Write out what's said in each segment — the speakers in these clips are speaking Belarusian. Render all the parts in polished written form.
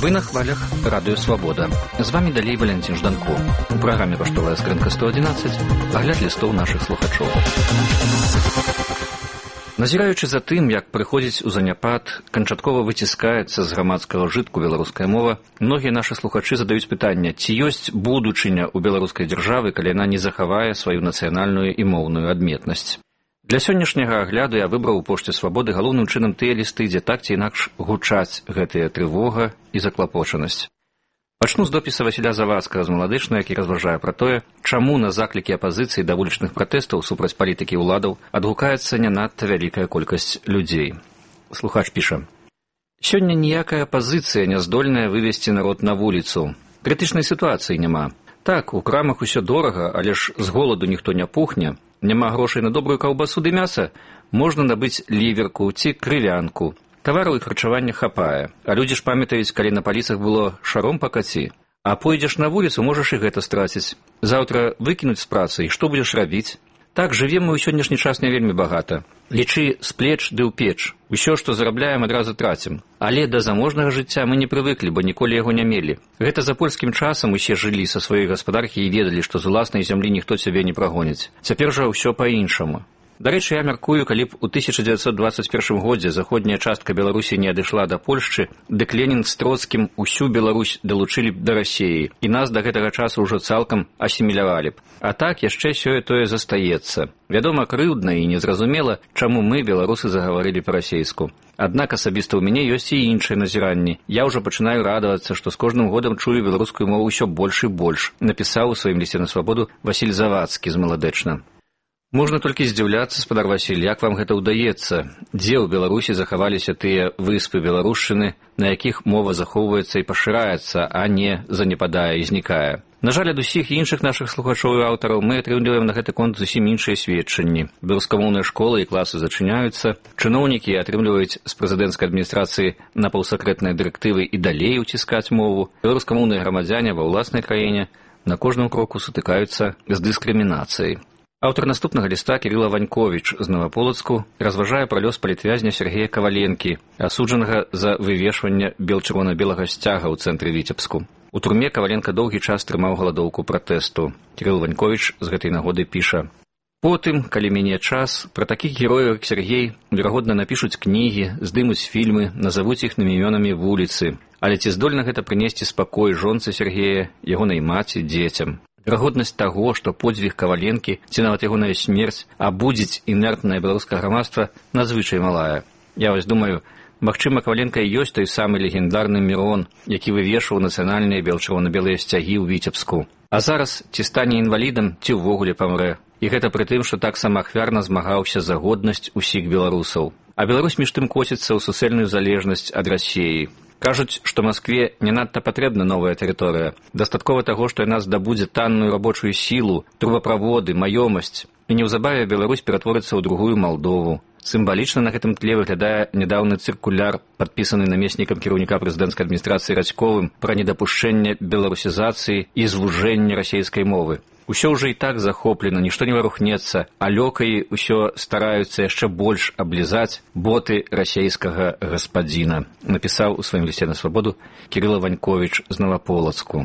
Вы на хвалях Радыё Свабода. З вами далей Валентин Жданко. У праграме «Паштовая скрынка 111» агляд лістоў нашых слухачоў. Назіраючы за тым, як прыходзіць у заняпад, канчаткова выціскаецца з грамадскага жытку беларуская мова, многія нашы слухачы задаюць пытанне, ці ёсць будучыня ў беларускай дзяржавы, калі яна не захавае сваю нацыянальную і моўную адметнасць. Для сённяшняга агляду я выбраў у пошце Свабоды галоўным чынам тыя лісты, дзе так ці інакш гучаць гэтая трывога і заклапочанасць. Пачну з допіса Васіля Завадскага з Маладычна, які разважае пра тое, чаму на заклікі апазіцыі да вулічных пратэстаў супраць палітыкі ўладаў адгукаецца не надта вялікая колькасць людзей. Слухач піша: «Сёння ніякая апазіцыя не здольная вывесці народ на вуліцу. Крытычнай сітуацыі няма. Так, у крамах усё дорага, але ж з голаду ніхто не пухне. Няма грошай на добрую каўбасу ды мяса, можна набыць ліверку ці крывянку. Тавараў і харчавання хапае. А людзі ж памятаюць, калі на паліцах было шаром па каці. А пойдзеш на вуліцу, можаш і гэта страціць. Заўтра выкінуць з працы, і што будзеш рабіць? Так, жывем мы ў сённяшні час не вельмі багата. Лічы з плеч ды ў печ. Усё, што зарабляем, адразу трацім. Але да заможнага жыцця мы не прывыклі, бо ніколі яго не мелі. Гэта за польскім часам усе жылі са сваёй гаспадаркі і ведалі, што з уласнай зямлі ніхто цябе не прагоніць. Цяпер жа ўсё па-іншаму. Дарэчы, я мяркую, калі б у 1921 годзе заходняя частка Беларусі не адышла да Польшчы, дык Ленін з Троцкім усю Беларусь далучылі б да Расіі, і нас да гэтага часу ўжо цалкам асімілявалі б. А так яшчэ сёе-тое застаецца. Вядома, крыўдна і незразумела, чаму мы, беларусы, загаварылі па-расейску. Аднак асабіста ў мяне ёсць і іншыя назіранні. Я ўжо пачынаю радавацца, што з кожным годам чую беларускую мову ўсё больш і больш, напісаў у сваім лісце на Свабоду Васіль Завадскі з Маладэчна. Можна толькі здзіўляцца, спадар Васіль, як вам гэта ўдаецца? Дзе ў Беларусі захаваліся тыя выспы беларушчыны, на якіх мова захоўваецца і пашыраецца, а не занепадае і знікае? На жаль, ад усіх іншых нашых слухачоў і аўтараў мы атрымліваем на гэты конт зусім іншыя сведчанні. Беларускамоўныя школы і класы зачыняюцца, чыноўнікі атрымліваюць з прэзідэнцкай адміністрацыі напаўсакрэтныя дырэктывы і далей уціскаць мову. Беларускамоўныя грамадзяне ва ўласнай краіне на кожным кроку сутыкаюцца з дыскрымінацыяй. Аўтар наступнага ліста Кірыла Ваньковіч з Новаполацку разважае пра лёс палітвязня Сергея Каваленкі, асуджанага за вывешванне бел-чырвона-белага сцяга ў цэнтры Віцебску. У турме Каваленка доўгі час трымаў галадоўку пратэсту. Кірыл Ваньковіч з гэтай нагоды піша: «Потым, калі міне час, пра такіх герояў, як Сергей, верагодна, напішуць кнігі, здымуць фільмы, назавуць іхнымі імёнамі вуліцы. Але ці здольна гэта прынесці спакой жонцы Сергея, ягонай маці, дзецям? Верагоднасць таго, што подзвіг Каваленкі, ці нават ягоная смерць абудзіць інертнае беларускае грамадства, надзвычай малая. Я вось думаю, магчыма, Каваленка і ёсць той самы легендарны Мірон, які вывешваў нацыянальныя бел-чырвона-белыя сцягі ў Віцебску. А зараз ці стане інвалідам, ці ўвогуле памрэ. І гэта пры тым, што так самаахвярна змагаўся за годнасць усіх беларусаў. А Беларусь між тым коціцца ў суцэльную залежнасць ад Расіі. Кажуць, што Маскве не надта патрэбна новая тэрыторыя. Дастаткова таго, што яна здабудзе танную рабочую сілу, трубаправоды, маёмасць. І неўзабаве Беларусь ператворыцца ў другую Малдову. Сімвалічна на гэтым тле выглядае нядаўны цыркуляр, падпісаны намеснікам кіраўніка прэзідэнцкай адміністрацыі Радзьковым пра недапушчэнне беларусізацыі і звужэння расейскай мовы. Усё ўжо і так захоплена, нішто не варухнецца, а лёкаі ўсё стараюцца яшчэ больш аблізаць боты расейскага гаспадзіна, напісаў у сваім лісце на Свабоду Кірыла Ваньковіч з Новаполацку.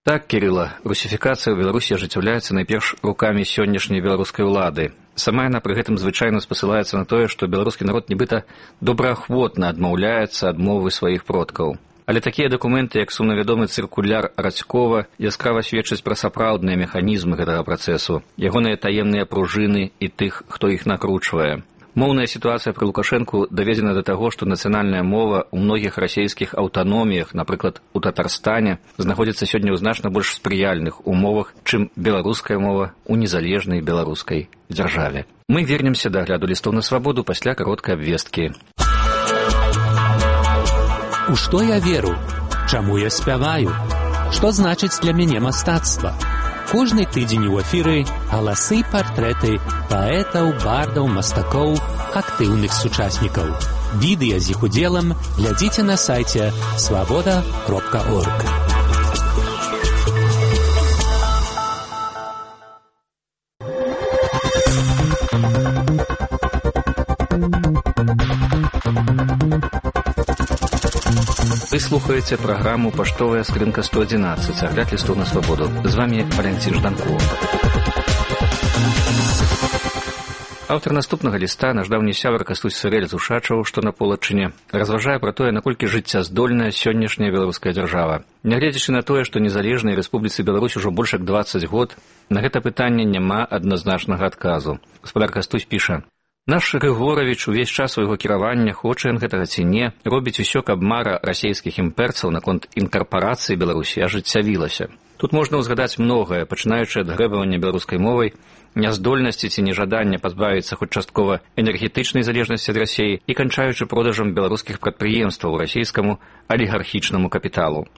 Так, Кірыла, русіфікацыя ў Беларусі ажыццяўляецца найперш рукамі сённяшняй беларускай улады. Сама яна пры гэтым звычайна спасылаецца на тое, што беларускі народ нібыта добраахвотна адмаўляецца ад мовы сваіх продкаў. Але такія дакументы, як сумнавядомы цыркуляр Радзькова, яскрава сведчаць пра сапраўдныя механізмы гэтага працэсу, ягоныя таемныя пружыны і тых, хто іх накручвае. Моўная сітуацыя пры Лукашэнку даведзена да таго, што нацыянальная мова ў многіх расейскіх аўтаноміях, напрыклад, у Татарстане, знаходзіцца сёння ў значна больш спрыяльных умовах, чым беларуская мова ў незалежнай беларускай дзяржаве. Мы вернемся да агляду лістоў на Свабоду пасля кароткай абвесткі. У што я веру? Чаму я спяваю? Што значыць для мяне мастацтва? Кожны тыдзень у эфіры галасы і партрэты паэтаў, бардаў, мастакоў, актыўных сучаснікаў. Відэа з іх удзелам глядзіце на сайце swaboda.org. Вы слухаеце праграму «Паштовая скрынка 111», агляд лістоў на свабоду. З вами Валентин Жданков. Аўтар наступнага ліста, наш даўні сябар Кастусь Сырэль з Ушачаў, што на Полачыне, разважае пра тое, наколькі жыццяздольная сённяшняя беларуская дзяржава. Нягледзячы на тое, што незалежнай Рэспубліцы Беларусь ужо больш як 20 год, на гэта пытанне няма адназначнага адказу. Гаспадар Кастусь піша: «Наш Грыгоравіч увесь час свайго кіравання, хоча ён гэтага ці не, робіць усё, каб мара расейскіх імперцаў наконт інкарпарацыі Беларусі ажыццявілася. Тут можна ўзгадаць многае, пачынаючы ад грэбавання беларускай мовай, няздольнасці ці нежадання пазбавіцца хоць часткова энергетычнай залежнасці ад Расіі і канчаючы продажам беларускіх прадпрыемстваў расійскаму алігархічнаму капіталу.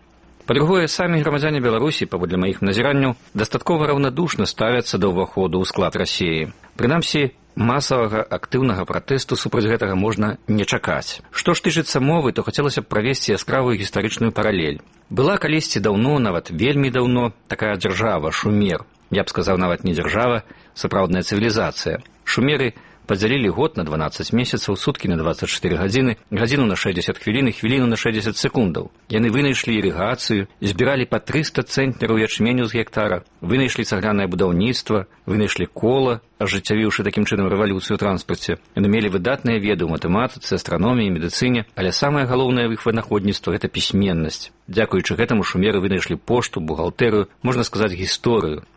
Па-другое, самі грамадзяне Беларусі, паводле маіх назіранняў, дастаткова раўнадушна ставяцца да ўваходу ў склад Расіі. Прынамсі, масавага актыўнага пратэсту супраць гэтага можна не чакаць. Што ж тычыцца мовы, то хацелася б правесці яскравую гістарычную паралель. Была калісьці даўно, нават вельмі даўно, такая дзяржава, Шумер. Я б сказаў, нават не дзяржава, сапраўдная цывілізацыя. Шумеры падзялілі год на 12 месяцаў, суткі на 24 гадзіны, гадзіну на 60 хвілін і хвіліну на 60 секундаў. Яны вынайшлі ірыгацыю, збіралі па 300 цэнтнераў ячменю з гектара, вынайшлі цаглянае будаўніцтва, вынайшлі кола, ажыццявіўшы такім чынам рэвалюцыю ў транспарце. Яны мелі выдатныя веды ў матэматыцы, астраноміі, медыцыне, але самае галоўнае ў іх вынаходніцтва – гэта пісьменнасць. Дзякуючы гэтаму шумеры вынайшлі пошту, бухгалтэрыю, можна сказаць, гісторыю.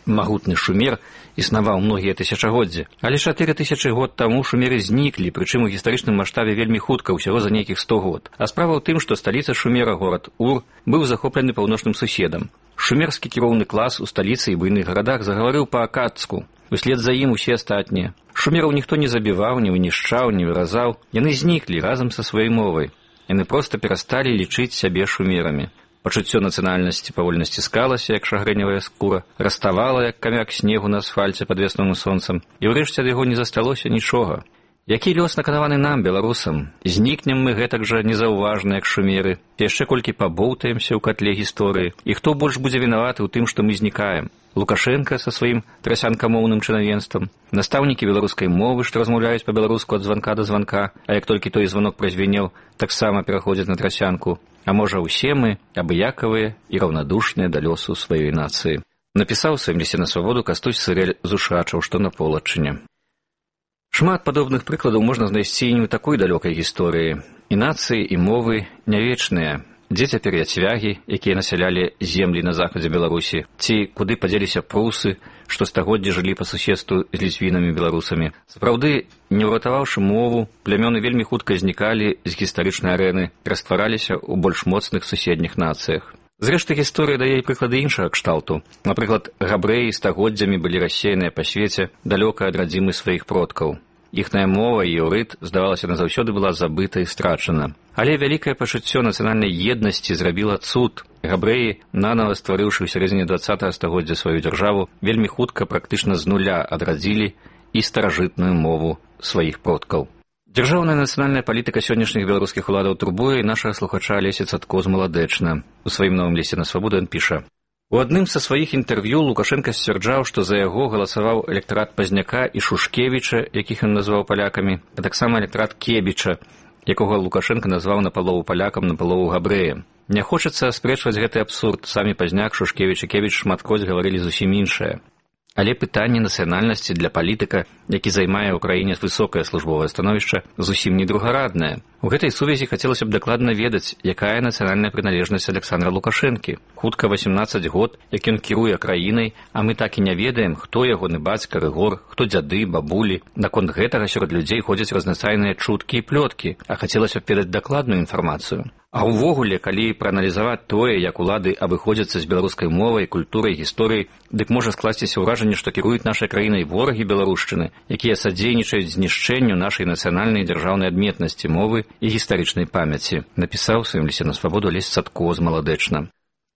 Магутны Шумер існаваў многія тысячагоддзі, але 4000 год таму шумеры зніклі, прычым у гістарычным маштабе вельмі хутка, усяго за нейкіх 100 год. А справа ў тым, што сталіца Шумера, горад Ур, быў захоплены паўночным суседам. Шумерскі кіроўны клас у сталіцы і буйных гарадах загаварыў па-акадску. Услед за ім усе астатнія. Шумераў ніхто не забіваў, не вынішчаў, не выразаў. Яны зніклі разам са сваёй мовай. Яны проста перасталі лічыць сябе шумерамі. Пачуццё нацыянальнасці павольна сціскалася, як шагрэневая скура, раставала, як камяк снегу на асфальце пад весновым сонцам, і ўрэшце ад яго не засталося нічога. Які лёс наканаваны нам, беларусам? Знікнем мы гэтак жа незаўважна, як шумеры, яшчэ колькі пабоўтаемся ў катле гісторыі. І хто больш будзе вінаваты ў тым, што мы знікаем? Лукашенка са сваім трасянкамоўным чынавенствам, настаўнікі беларускай мовы, што размаўляюць па-беларуску ад званка да званка, а як толькі той званок празвенеў, таксама пераходзяць на трасянку. А можа, усе мы абыякавыя і раўнадушныя да лёсу сваёй нацыі. Напісаў у сваім лісце на свабоду Кастусь Сырэль з Ушачаў, што на Полачыне. Шмат падобных прыкладаў можна знайсці і не ў такой далёкай гісторыі. І нацыі, і мовы не вечныя. Дзе цяпер яцвягі, якія насялялі землі на захадзе Беларусі, ці куды падзеліся прусы, што стагоддзі жылі па суседству з ліцвінамі-беларусамі. Сапраўды, не ўратаваўшы мову, плямёны вельмі хутка знікалі з гістарычнай арэны, раствараліся ў больш моцных суседніх нацыях. Зрэшты, гісторыя дае і прыклады іншага кшталту. Напрыклад, габрэі стагоддзямі былі рассеяныя па свеце далёка ад радзімы сваіх продкаў. Іхная мова і іўрыт, здавалася, назаўсёды была забыта і страчана. Але вялікае пачуццё нацыянальнай еднасці зрабіла цуд. Габрэі, нанава стварыўшы ў сярэдзіне 20 стагоддзя сваю дзяржаву, вельмі хутка, практычна з нуля адрадзілі і старажытную мову сваіх продкаў. Дзяржаўная нацыянальная палітыка сённяшніх беларускіх уладаў турбуе і нашага слухача Алеся Цадко з Маладэчна. У сваім новым лісце на свабоду ён піша: у адным са сваіх інтэрв'ю Лукашенка сцвярджаў, што за яго галасаваў электарат Пазняка і Шушкевіча, якіх ён назваў палякамі, а таксама электарат Кебіча, якога Лукашенка назваў напалову палякам, напалову габрэем. Не хочацца аспрэчваць гэты абсурд. Самі Пазняк, Шушкевіч і Кебіч шматкроць гаварылі зусім іншае. Але пытанне нацыянальнасці для палітыка, які займае ў краіне высокае службовае становішча, зусім не другараднае. У гэтай сувязі хацелася б дакладна ведаць, якая нацыянальная прыналежнасць Александра Лукашэнкі. Хутка 18 год, як ён кіруе краінай, а мы так і не ведаем, хто ягоны бацька, рыгор, хто дзяды, бабулі. Наконт гэтага сярод людзей ходзяць разнастайныя чуткі і плёткі, а хацелася б ведаць дакладную інфармацыю. А ўвогуле, калі прааналізаваць тое, як улады абыходзяцца з беларускай мовай, культурай, гісторыяй, дык можа скласціся ўражанне, што кіруюць нашай краінай ворагі беларушчыны, якія садзейнічаюць знішчэнню нашай нацыянальнай дзяржаўнай адметнасці мовы і гістарычнай памяці, напісаў у сваім лісце на свабоду Алесь Цадко з Маладэчна.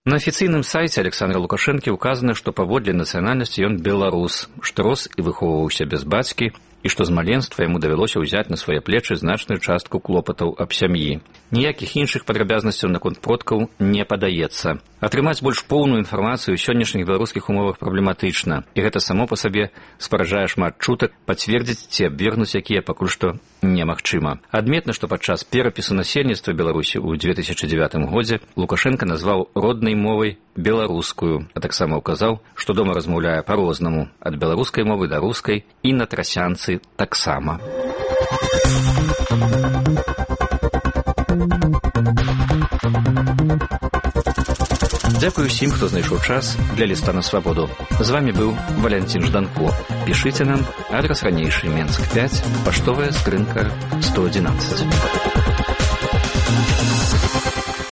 На афіцыйным сайце Александра Лукашэнкі ўказана, што паводле нацыянальнасці ён беларус, што рос і выхоўваўся без бацькі, і што з маленства яму давялося ўзяць на свае плечы значную частку клопатаў аб сям'і. Ніякіх іншых падрабязнасцяў наконт продкаў не падаецца. Атрымаць больш поўную інфармацыю ў сённяшніх беларускіх умовах праблематычна, і гэта само па сабе спараджае шмат чутак, пацвердзіць ці абвергнуць якія пакуль што немагчыма. Адметна, што падчас перапісу насельніцтва Беларусі ў 2009 годзе Лукашенко назваў роднай мовай беларускую, а таксама ўказаў, што дома размаўляе па-рознаму, ад беларускай мовы да рускай і на трасянцы таксама. Дзякую ўсім, хто знайшоў час для ліста на свабоду. З вами быў Валянцін Жданко. Пішыце нам, адрас ранейшы Менск 5, паштовая скрынка 111.